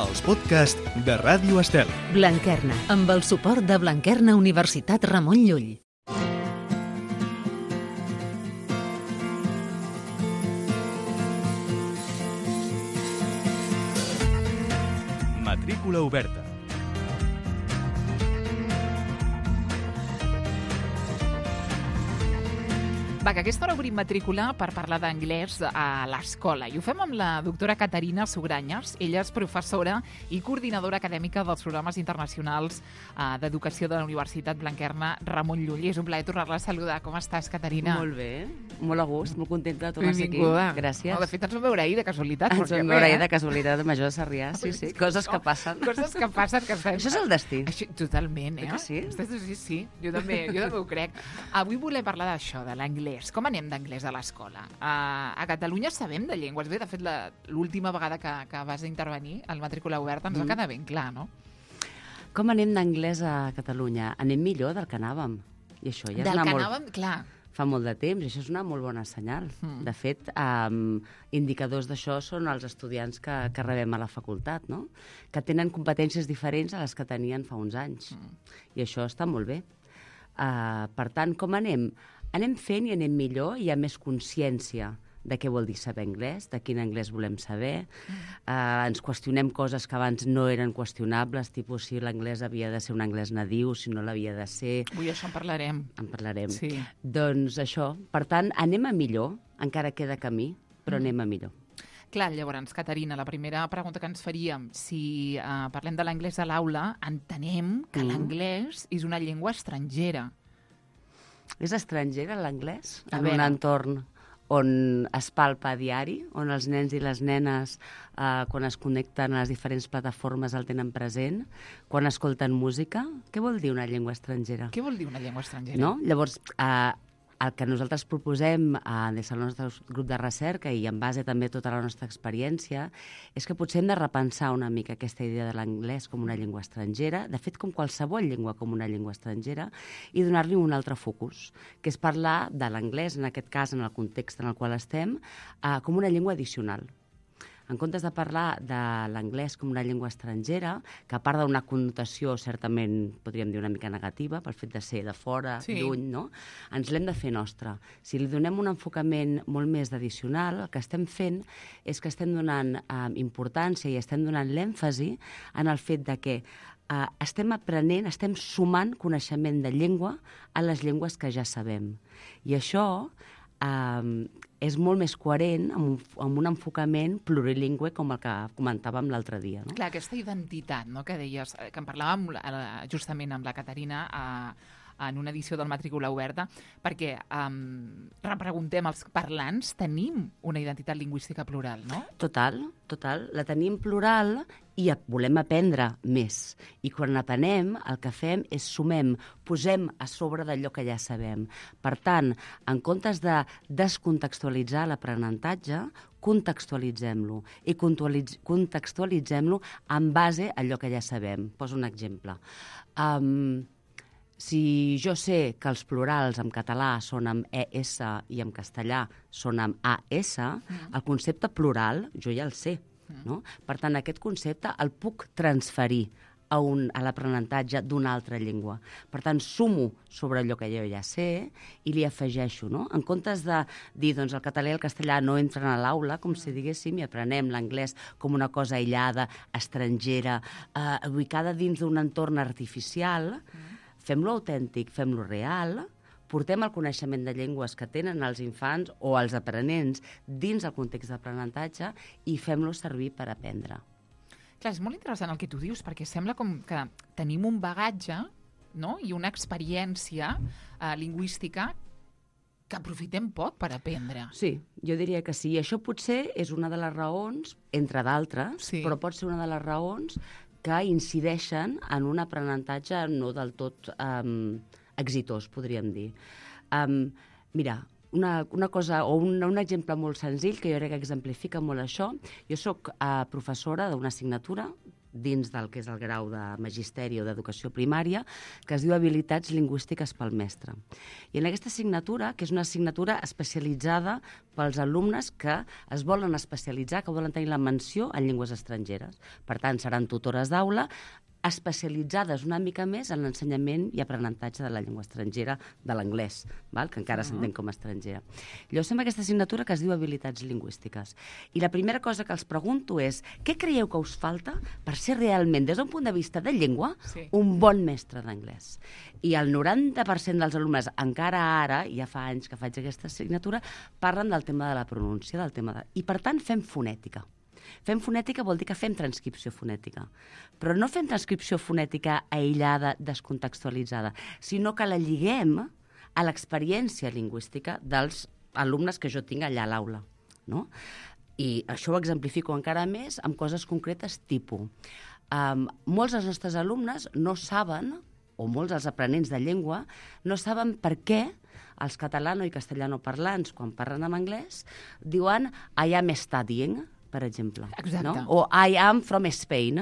els podcasts de Ràdio Estel. Blanquerna, amb el suport de Blanquerna Universitat Ramon Llull. Matrícula oberta. Va, que a aquesta hora obrim matrícula per parlar d'anglès a l'escola. I ho fem amb la doctora Caterina Sugranyes. Ella és professora i coordinadora acadèmica dels programes internacionals d'educació de la Universitat Blanquerna Ramon Llull. I és un plaer tornar-la a saludar. Com estàs, Caterina? Molt bé, molt a gust, molt contenta de tornar a ser aquí. Benvinguda. Gràcies. No, de fet, ens vam veure ahir, de casualitat. Ens vam veure ahir de casualitat de Major de Sarrià, sí. Coses que passen. Coses que passen. Que estem... Això és el destí. Així, totalment, Que sí? Sí. Jo també ho crec. Avui volem parlar d'això, de l'anglès. Com anem d'anglès a l'escola? A Catalunya sabem de llengües. Bé, de fet, l'última vegada que vas intervenir al Matrícula Oberta ens va quedar ben clar, no? Com anem d'anglès a Catalunya? Anem millor del que anàvem. I això ja és Del anar que molt... anàvem, clar. Fa molt de temps, i això és una molt bona senyal. De fet, indicadors d'això són els estudiants que rebem a la facultat, no? Que tenen competències diferents a les que tenien fa uns anys. I això està molt bé. Per tant, com anem? Anem fent i anem millor, hi ha més consciència de què vol dir saber anglès, de quin anglès volem saber. Ens qüestionem coses que abans no eren qüestionables, tipus si l'anglès havia de ser un anglès nadiu, si no l'havia de ser... Avui això en parlarem. En parlarem. Sí. Doncs això, per tant, anem a millor, encara queda camí, però anem a millor. Clar, llavors, Caterina, la primera pregunta que ens faríem, si parlem de l'anglès a l'aula, entenem que l'anglès és una llengua estrangera. És estrangera l'anglès? A En veure. un entorn on es palpa a diari, on els nens i les nenes, quan es connecten a les diferents plataformes, el tenen present, quan escolten música? Què vol dir una llengua estrangera? Què vol dir una llengua estrangera? No? Llavors, el que nosaltres proposem des del nostre grup de recerca i en base també a tota la nostra experiència és que potser hem de repensar una mica aquesta idea de l'anglès com una llengua estrangera, de fet com qualsevol llengua com una llengua estrangera, i donar-li un altre focus, que és parlar de l'anglès, en aquest cas en el context en el qual estem, com una llengua addicional. En comptes de parlar de l'anglès com una llengua estrangera, que a part d'una connotació certament, podríem dir, una mica negativa, pel fet de ser de fora, Sí. lluny, no? Ens l'hem de fer nostra. Si li donem un enfocament molt més addicional, el que estem fent és que estem donant importància i estem donant l'èmfasi en el fet de que estem aprenent, estem sumant coneixement de llengua a les llengües que ja sabem. I això és molt més coherent amb un enfocament plurilingüe com el que comentàvem l'altre dia. No? Clar, aquesta identitat, no?, que deies, que en parlàvem justament amb la Caterina en una edició del Matrícula Oberta, perquè repreguntem als parlants, tenim una identitat lingüística plural, no? Total. La tenim plural i volem aprendre més. I quan aprenem, el que fem és sumem, posem a sobre d'allò que ja sabem. Per tant, en comptes de descontextualitzar l'aprenentatge, contextualitzem-lo i contextualitzem-lo en base a allò que ja sabem. Poso un exemple. Si jo sé que els plurals en català són amb ES i en castellà són amb AS, el concepte plural jo ja el sé. No? Per tant, aquest concepte el puc transferir a l'aprenentatge d'una altra llengua. Per tant, sumo sobre allò que jo ja sé i li afegeixo. No? En comptes de dir doncs, el català i el castellà no entren a l'aula, com si diguéssim, i aprenem l'anglès com una cosa aïllada, estrangera, ubicada dins d'un entorn artificial, fem-lo autèntic, fem-lo real, portem el coneixement de llengües que tenen els infants o els aprenents dins el context d'aprenentatge i fem-lo servir per aprendre. Clar, és molt interessant el que tu dius, perquè sembla com que tenim un bagatge, no?, i una experiència lingüística que aprofitem poc per aprendre. Sí, jo diria que sí. I això potser és una de les raons, entre d'altres, Sí. però pot ser una de les raons que incideixen en un aprenentatge no del tot exitós, podríem dir. Mira, una cosa o un exemple molt senzill que jo crec que exemplifica molt això. Jo sóc professora d'una assignatura dins del que és el grau de magisteri o d'educació primària, que es diu Habilitats Lingüístiques pel Mestre. I en aquesta assignatura, que és una assignatura especialitzada pels alumnes que es volen especialitzar, que volen tenir la menció en llengües estrangeres. Per tant, seran tutores d'aula especialitzades una mica més en l'ensenyament i aprenentatge de la llengua estrangera, de l'anglès, que encara s'entén com a estrangera. Llavors fem aquesta assignatura que es diu Habilitats Lingüístiques. I la primera cosa que els pregunto és què creieu que us falta per ser realment, des d'un punt de vista de llengua, un bon mestre d'anglès? I el 90% dels alumnes, encara ara, ja fa anys que faig aquesta assignatura, parlen del tema de la pronúncia, i per tant fem fonètica. Fem fonètica vol dir que fem transcripció fonètica, però no fem transcripció fonètica aïllada, descontextualitzada, sinó que la lliguem a l'experiència lingüística dels alumnes que jo tinc allà a l'aula, no? I això ho exemplifico encara més amb coses concretes tipus. Molts dels nostres alumnes no saben, o molts dels aprenents de llengua, no saben per què els catalano i castellano parlants, quan parlen en anglès, diuen I am studying, per exemple. Exacte. No? O I am from Spain.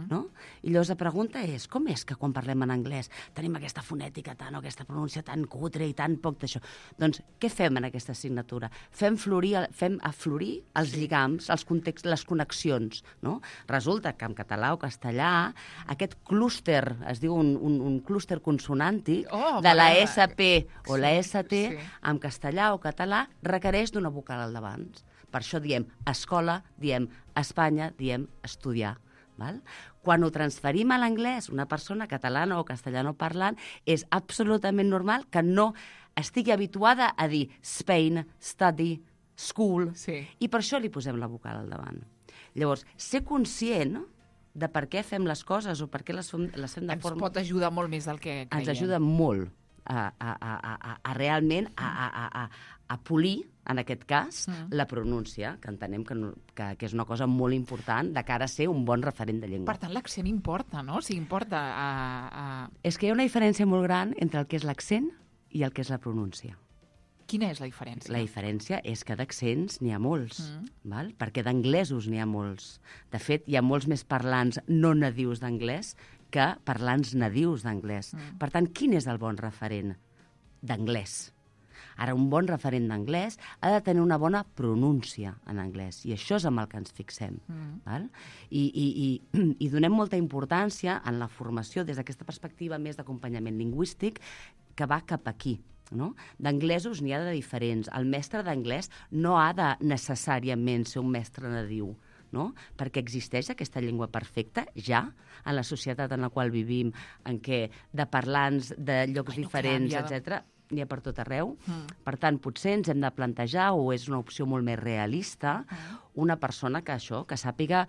No? I llavors la pregunta és, com és que quan parlem en anglès tenim aquesta fonètica o aquesta pronúncia tan cutre i tan poc d'això? Doncs què fem en aquesta assignatura? Fem aflorir els lligams, els contexts, les connexions. No? Resulta que en català o castellà aquest clúster, es diu un clúster consonàntic de la SP o la ST, en castellà o català requereix d'una vocal al davant. Per això diem escola, diem Espanya, diem estudiar. Val? Quan ho transferim a l'anglès, una persona catalana o castellano parlant, és absolutament normal que no estigui habituada a dir Spain, study, school, i per això li posem la vocal al davant. Llavors, ser conscient de per què fem les coses o per què les fem de forma... Ens pot ajudar molt més del que creiem. Ens ajuda molt a realment a polir, en aquest cas, la pronúncia, que entenem que és una cosa molt important de cara a ser un bon referent de llengua. Per tant, l'accent importa, no? O sigui, importa... És que hi ha una diferència molt gran entre el que és l'accent i el que és la pronúncia. Quina és la diferència? La diferència és que d'accents n'hi ha molts, val? Perquè d'anglesos n'hi ha molts. De fet, hi ha molts més parlants no nadius d'anglès que parlants nadius d'anglès. Per tant, quin és el bon referent d'anglès? Ara, un bon referent d'anglès ha de tenir una bona pronúncia en anglès, i això és amb el que ens fixem. Val? I donem molta importància en la formació des d'aquesta perspectiva més d'acompanyament lingüístic que va cap aquí. No? D'anglesos n'hi ha de diferents. El mestre d'anglès no ha de necessàriament ser un mestre nadiu, no? Perquè existeix aquesta llengua perfecta ja en la societat en la qual vivim, en què de parlants de llocs diferents, etc., n'hi ha per tot arreu. Per tant, potser ens hem de plantejar, o és una opció molt més realista, una persona que sàpiga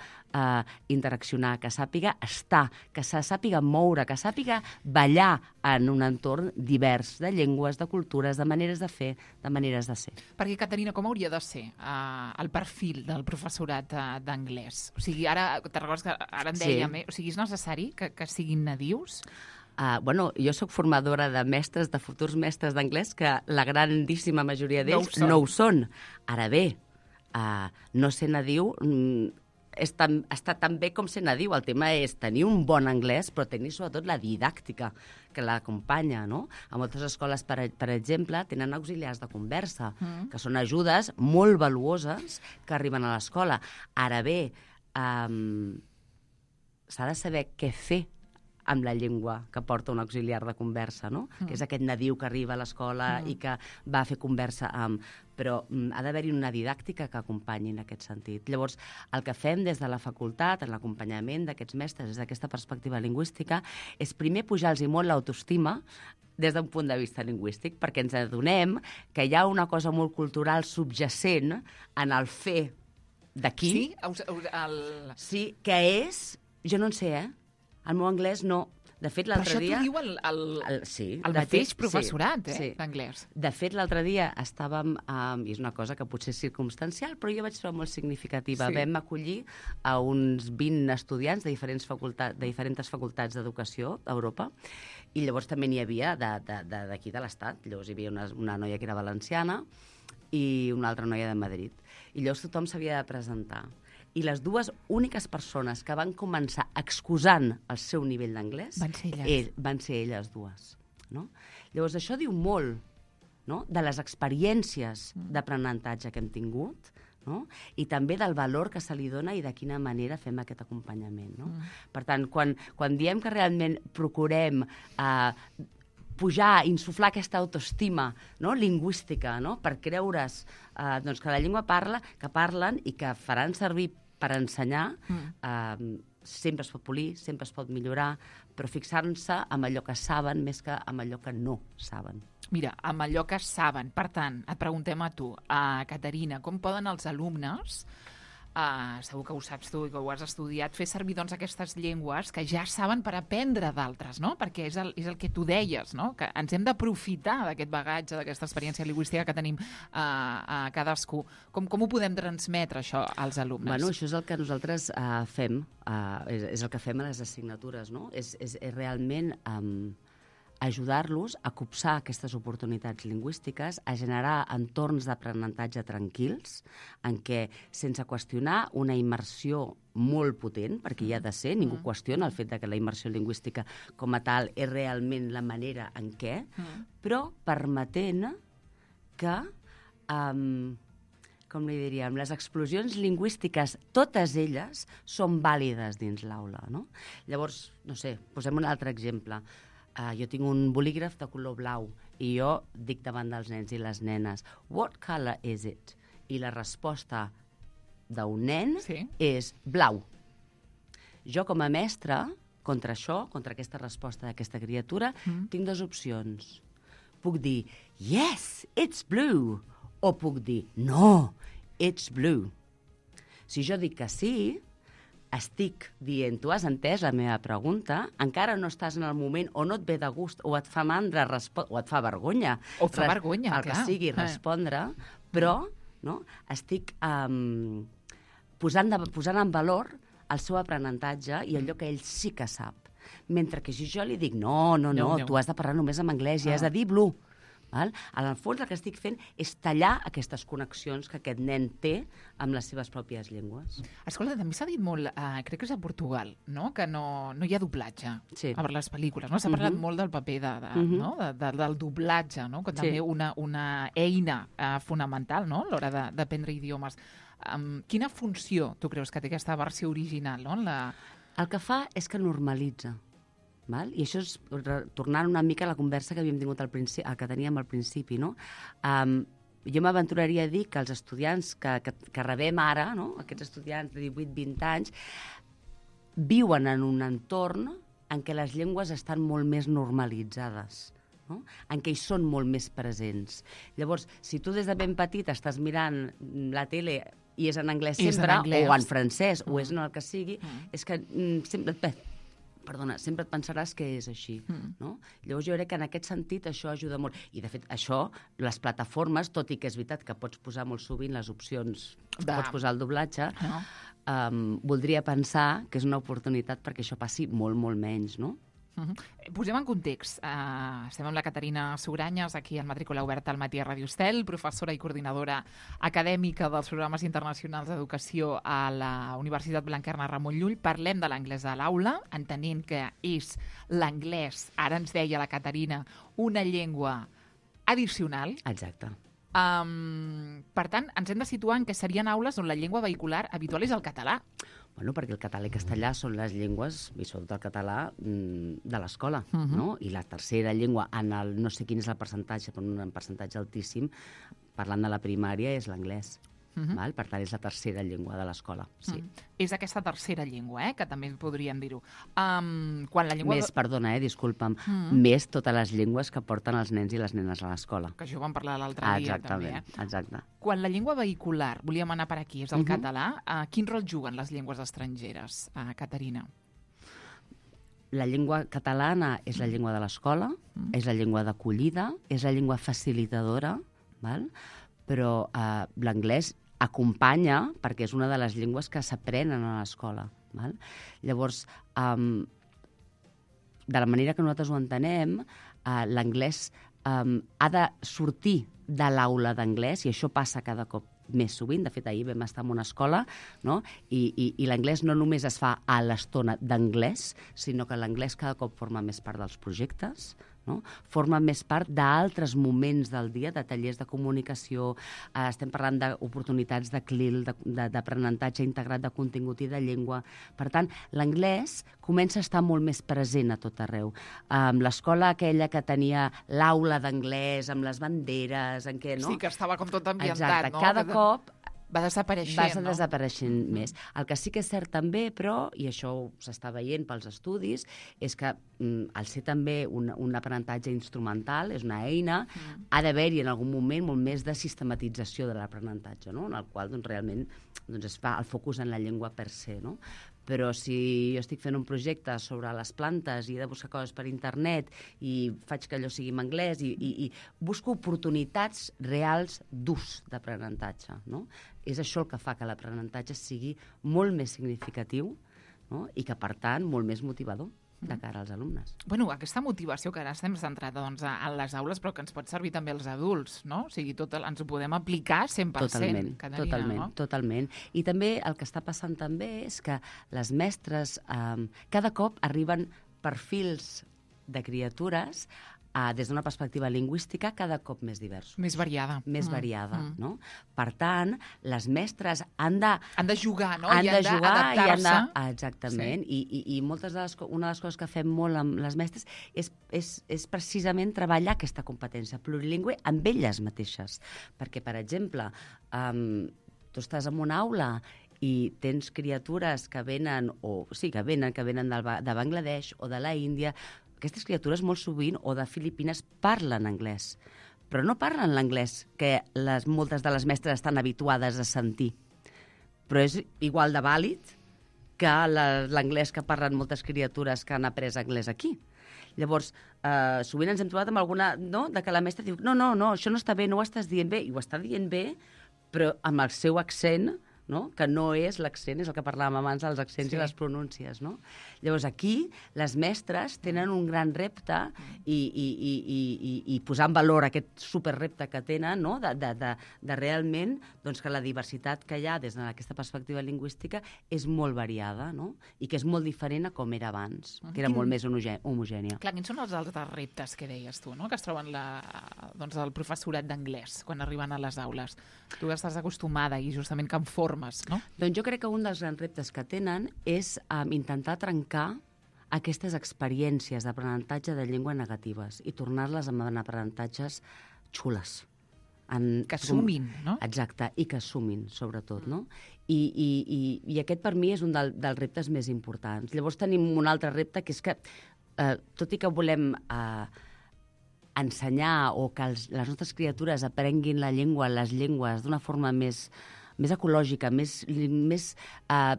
interaccionar, que sàpiga estar, que se sàpiga moure, que sàpiga ballar en un entorn divers de llengües, de cultures, de maneres de fer, de maneres de ser. Perquè, Caterina, com hauria de ser el perfil del professorat d'anglès? O sigui, ara, te'n recordes que ara en dèiem, o sigui, és necessari que siguin nadius? Jo sóc formadora de mestres, de futurs mestres d'anglès, que la grandíssima majoria d'ells no ho són. Ara bé, no ser nadiu està tan bé com ser nadiu. El tema és tenir un bon anglès, però tenir sobretot la didàctica que l'acompanya, no? A moltes escoles, per exemple, tenen auxiliars de conversa, que són ajudes molt valuoses que arriben a l'escola. Ara bé, s'ha de saber què fer amb la llengua que porta un auxiliar de conversa, no? Que és aquest nadiu que arriba a l'escola i que va a fer conversa amb... Però ha d'haver-hi una didàctica que acompanyi en aquest sentit. Llavors, el que fem des de la facultat, en l'acompanyament d'aquests mestres, des d'aquesta perspectiva lingüística, és primer pujar-los molt l'autoestima des d'un punt de vista lingüístic, perquè ens adonem que hi ha una cosa molt cultural subjacent en el fer d'aquí. Sí? Sí, que és... Jo no en sé, El meu anglès no. De fet, l'altre dia... Però això t'ho diu el mateix professorat, d'anglès. De fet, l'altre dia estàvem... I és una cosa que potser és circumstancial, però jo vaig trobar molt significativa. Vam acollir a uns 20 estudiants de diferents facultats d'educació d'Europa, i llavors també n'hi havia d'aquí de l'Estat. Llavors hi havia una noia que era valenciana i una altra noia de Madrid. I llavors tothom s'havia de presentar. I les dues úniques persones que van començar excusant el seu nivell d'anglès van ser elles dues. No? Llavors, això diu molt, no?, de les experiències d'aprenentatge que hem tingut, no?, i també del valor que se li dona i de quina manera fem aquest acompanyament. No? Per tant, quan diem que realment procurem pujar, insuflar aquesta autoestima, no?, lingüística, no?, per creure's doncs que la llengua que parlen i que faran servir per ensenyar, sempre es pot polir, sempre es pot millorar, però fixar-se en allò que saben més que en allò que no saben. Mira, amb allò que saben. Per tant, et preguntem a tu, Caterina, com poden els alumnes, segur que ho saps tu i que ho has estudiat, fer servir doncs, aquestes llengües que ja saben per aprendre d'altres, no? Perquè és el que tu deies, no? Que ens hem d'aprofitar d'aquest bagatge, d'aquesta experiència lingüística que tenim cadascú. Com ho podem transmetre, això, als alumnes? Bueno, això és el que nosaltres fem, és el que fem a les assignatures, no? És realment ajudar-los a copsar aquestes oportunitats lingüístiques, a generar entorns d'aprenentatge tranquils, en què, sense qüestionar una immersió molt potent, perquè hi ha de ser, ningú qüestiona el fet de que la immersió lingüística com a tal és realment la manera en què, però permetent que, com li diríem, les explosions lingüístiques, totes elles, són vàlides dins l'aula, no? Llavors, no sé, posem un altre exemple. Jo tinc un bolígraf de color blau i jo dic davant dels nens i les nenes, what color is it? I la resposta d'un nen és blau. Jo, com a mestra, contra això, contra aquesta resposta d'aquesta criatura, tinc dues opcions. Puc dir, yes, it's blue, o puc dir, no, it's blue. Si jo dic que sí, estic dient, tu has entès la meva pregunta, encara no estàs en el moment o no et ve de gust, o et fa mandra, o et fa vergonya. O et fa vergonya, el que sigui, respondre, però no, estic posant en valor el seu aprenentatge i allò que ell sí que sap. Mentre que si jo li dic, no, tu has de parlar només en anglès i has de dir blue. Val? En el fons el que estic fent és tallar aquestes connexions que aquest nen té amb les seves pròpies llengües. Escolta, també s'ha dit molt, crec que és a Portugal, no?, que no hi ha doblatge a les pel·lícules. No? S'ha parlat molt del paper del doblatge, no?, que també una eina fonamental, no?, a l'hora d'aprendre idiomes. Quina funció tu creus que té aquesta versió original? No? El que fa és que normalitza. Val? I això és tornant una mica a la conversa que havíem tingut que teníem al principi. No? Jo m'aventuraria a dir que els estudiants que rebem ara, no? Aquests estudiants de 18-20 anys, viuen en un entorn en què les llengües estan molt més normalitzades, no? En què hi són molt més presents. Llavors, si tu des de ben petit estàs mirant la tele i és en anglès sempre, o en francès, o és en el que sigui, és que sempre et pensaràs que és així. No? Llavors jo crec que en aquest sentit això ajuda molt. I de fet això, les plataformes, tot i que és veritat que pots posar molt sovint les opcions, pots posar el doblatge, voldria pensar que és una oportunitat perquè això passi molt, molt menys, no? Posem en context. Estem amb la Caterina Sugranyes, aquí en Matrícula Oberta al matí a Ràdio Estel, professora i coordinadora acadèmica dels programes internacionals d'educació a la Universitat Blanquerna Ramon Llull. Parlem de l'anglès a l'aula, entenent que és l'anglès, ara ens deia la Caterina, una llengua addicional. Exacte. Per tant, ens hem de situar en què serien aules on la llengua vehicular habitual és el català. Bueno, perquè el català i castellà són les llengües, i sobretot el català, de l'escola, no? I la tercera llengua, no sé quin és el percentatge, però un percentatge altíssim, parlant de la primària, és l'anglès. Val? Per tant, és la tercera llengua de l'escola. Sí. És aquesta tercera llengua, que també podríem dir-ho. Quan la llengua... Perdona, disculpa'm, més totes les llengües que porten els nens i les nenes a l'escola. Que això ho vam parlar l'altre dia, també. Exacte. Quan la llengua vehicular, volíem anar per aquí, és el català, quin rol juguen les llengües estrangeres, Caterina? La llengua catalana és la llengua de l'escola, és la llengua d'acollida, és la llengua facilitadora, val? Però l'anglès acompanya, perquè és una de les llengües que s'aprenen a l'escola. Val? Llavors, de la manera que nosaltres ho entenem, l'anglès ha de sortir de l'aula d'anglès, i això passa cada cop més sovint. De fet, ahir vam estar en una escola, no? I l'anglès no només es fa a l'estona d'anglès, sinó que l'anglès cada cop forma més part dels projectes, no? Forma més part d'altres moments del dia, de tallers de comunicació, estem parlant d'oportunitats de CLIL, d'aprenentatge integrat de contingut i de llengua. Per tant, l'anglès comença a estar molt més present a tot arreu. L'escola aquella que tenia l'aula d'anglès, amb les banderes, en què, no? Sí, que estava com tot ambientat, exacte, no? Cada cop va desapareixent, no? desapareixent més. El que sí que és cert també, però, i això s'està veient pels estudis, és que al ser també un aprenentatge instrumental, és una eina, ha d'haver-hi en algun moment molt més de sistematització de l'aprenentatge, no? En el qual realment es fa el focus en la llengua per se, no? Però si jo estic fent un projecte sobre les plantes i he de buscar coses per internet i faig que allò sigui en anglès i busco oportunitats reals d'ús d'aprenentatge, no? És això el que fa que l'aprenentatge sigui molt més significatiu, no? I que, per tant, molt més motivador de cara als alumnes. Bueno, aquesta motivació que ara estem centrats a les aules, però que ens pot servir també als adults, no? O sigui, ens ho podem aplicar 100%. Totalment, Caterina, totalment, no? Totalment. I també el que està passant també és que les mestres cada cop arriben perfils de criatures des d'una perspectiva lingüística cada cop més diversos. Més variada. Més variada, no? Per tant, les mestres han de jugar, no? Han de jugar i han de... Sí. Exactament. I moltes una de les coses que fem molt amb les mestres és precisament treballar aquesta competència plurilingüe amb elles mateixes. Perquè, per exemple, tu estàs en una aula i tens criatures que venen de Bangladesh o de la Índia. Aquestes criatures molt sovint, o de Filipines, parlen anglès, però no parlen l'anglès que moltes de les mestres estan habituades a sentir. Però és igual de vàlid que l'anglès que parlen moltes criatures que han après anglès aquí. Llavors, sovint ens hem trobat amb alguna, no?, de que la mestra diu no, això no està bé, no ho estàs dient bé, i ho està dient bé, però amb el seu accent, no? Que no és l'accent, és el que parlàvem abans dels accents i les pronúncies, no? Llavors, aquí, les mestres tenen un gran repte i posar en valor aquest superrepte que tenen, no? De realment que la diversitat que hi ha des d'aquesta perspectiva lingüística és molt variada, no? I que és molt diferent a com era abans, que era molt més homogènia. Clar, quins són els altres reptes que deies tu, no? Que es troben el professorat d'anglès quan arriben a les aules? Tu estàs acostumada i justament que en formes, no? Doncs jo crec que un dels grans reptes que tenen és intentar trencar aquestes experiències d'aprenentatge de llengua negatives i tornar-les en aprenentatges xules. Que sumin, no? Exacte, i que sumin, sobretot, no? I aquest, per mi, és un dels reptes més importants. Llavors tenim un altre repte, que és que, tot i que volem ensenyar o que les nostres criatures aprenguin les llengües d'una forma més ecològica, més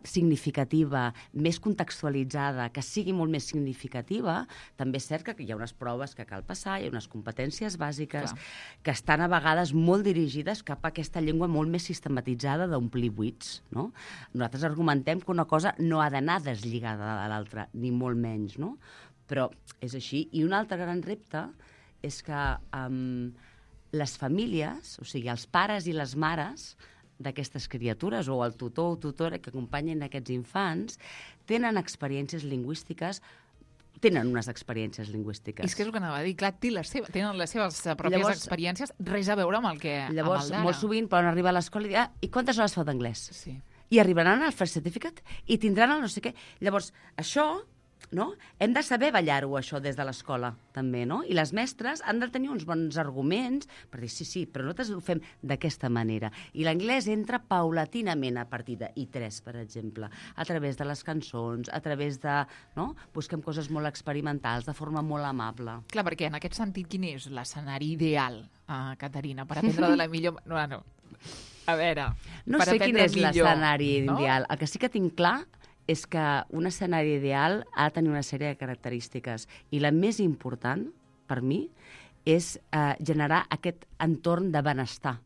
significativa, més contextualitzada, que sigui molt més significativa, també és cert que hi ha unes proves que cal passar, hi ha unes competències bàsiques que estan a vegades molt dirigides cap a aquesta llengua molt més sistematitzada d'omplir buits, no? Nosaltres argumentem que una cosa no ha d'anar deslligada de l'altra, ni molt menys, no? Però és així. I un altre gran repte és que les famílies, o sigui, els pares i les mares d'aquestes criatures, o el tutor o tutora que acompanyen aquests infants, tenen unes experiències lingüístiques. I és que és el que anava a dir, clar, tenen les seves pròpies experiències, res a veure amb el que... Llavors, molt sovint poden arribar a l'escola i dir, i quantes hores feu d'anglès? Sí. I arribaran al first certificate i tindran el no sé què. Llavors, això... no? Hem de saber ballar-ho, això, des de l'escola, també, no? I les mestres han de tenir uns bons arguments per dir, sí, però nosaltres ho fem d'aquesta manera. I l'anglès entra paulatinament a partir de I3, per exemple, a través de les cançons, a través de... no? Busquem coses molt experimentals, de forma molt amable. Clar, perquè en aquest sentit, quin és l'escenari ideal, Caterina, per aprendre de la millor... No. A veure... No sé quin és l'escenari ideal. El que sí que tinc clar és que un escenari ideal ha de tenir una sèrie de característiques. I la més important, per mi, és generar aquest entorn de benestar,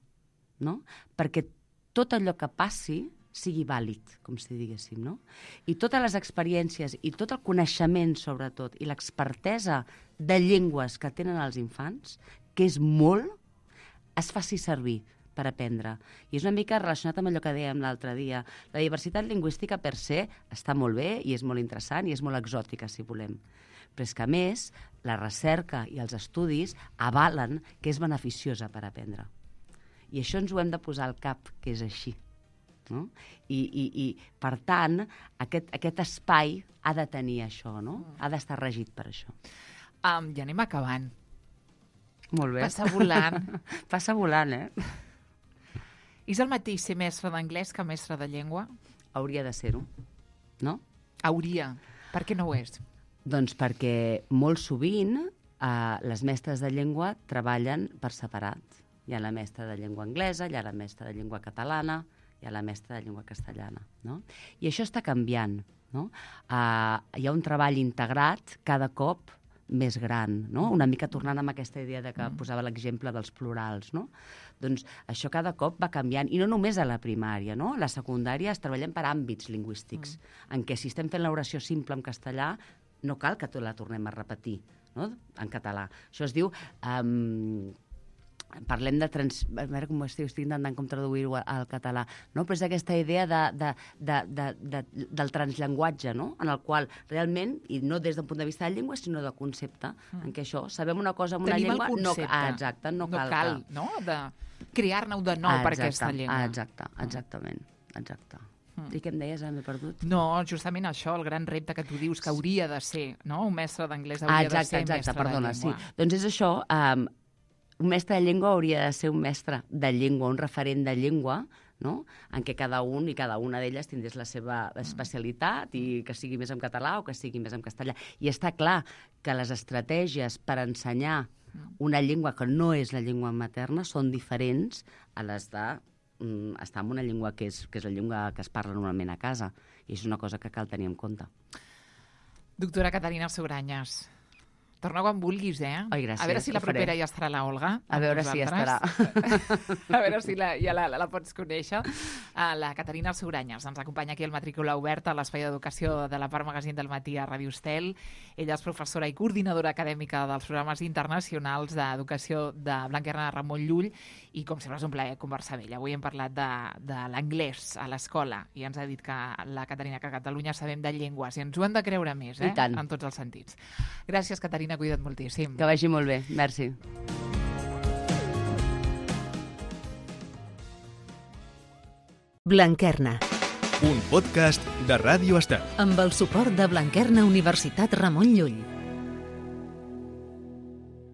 no? Perquè tot allò que passi sigui vàlid, com si diguéssim, no? I totes les experiències i tot el coneixement, sobretot, i l'expertesa de llengües que tenen els infants, que és molt, es faci servir per aprendre. I és una mica relacionat amb allò que dèiem l'altre dia. La diversitat lingüística per se està molt bé i és molt interessant i és molt exòtica, si volem. Però és que, a més, la recerca i els estudis avalen que és beneficiosa per aprendre. I això ens ho hem de posar al cap, que és així. No? I per tant, aquest espai ha de tenir això, no? Ha d'estar regit per això. Ja anem acabant. Molt bé. Passa volant. Passa volant, És el mateix ser mestre d'anglès que mestre de llengua? Hauria de ser-ho, no? Hauria. Per què no ho és? Doncs perquè molt sovint les mestres de llengua treballen per separat. Hi ha la mestra de llengua anglesa, hi ha la mestra de llengua catalana, hi ha la mestra de llengua castellana. No? I això està canviant. No? Hi ha un treball integrat cada cop més gran, no? Una mica tornant amb aquesta idea de que posava l'exemple dels plurals, no? Doncs això cada cop va canviant, i no només a la primària, no? A la secundària es treballem per àmbits lingüístics, en què si estem fent l'oració simple en castellà, no cal que la tornem a repetir, no? En català. Això es diu... parlem de... A veure com estic intentant com traduir-ho al català, no? Però és aquesta idea del transllenguatge, no? En el qual realment, i no des d'un punt de vista de llengua, sinó de concepte, en què això, sabem una cosa en una llengua... Tenim el concepte. Exacte, no cal que... no? De crear-ne-ho de nou per aquesta llengua. Exactament. I què em deies, m'he perdut? No, justament això, el gran repte que tu dius que hauria de ser, no? Un mestre d'anglès hauria de ser mestre de llengua. Sí. Doncs és això, un mestre de llengua hauria de ser un mestre de llengua, un referent de llengua, no? En què cada un i cada una d'elles tindés la seva especialitat i que sigui més en català o que sigui més en castellà. I està clar que les estratègies per ensenyar una llengua que no és la llengua materna són diferents a les de estar en una llengua que és la llengua que es parla normalment a casa. I és una cosa que cal tenir en compte. Doctora Caterina Sugranyes, torna quan vulguis, Ai, gràcies, a veure si la propera ja estarà la Olga. A veure si estarà. A veure si ja la pots conèixer. La Caterina Sugranyes ens acompanya aquí al Matrícula Oberta, a l'Espai d'Educació de la Part Magazín del Matí a Ràdio Estel. Ella és professora i coordinadora acadèmica dels programes internacionals d'educació de Blanquerna de Ramon Llull i, com sempre, és un plaer conversar amb ella. Avui hem parlat de l'anglès a l'escola i ens ha dit que la Caterina, que a Catalunya sabem de llengües i ens ho hem de creure més, I tant. en tots els sentits. Gràcies, Caterina, cuida't moltíssim. Que vagi molt bé, merci. Blanquerna, Un podcast de Ràdio Estel. amb el suport de Blanquerna Universitat Ramon Llull.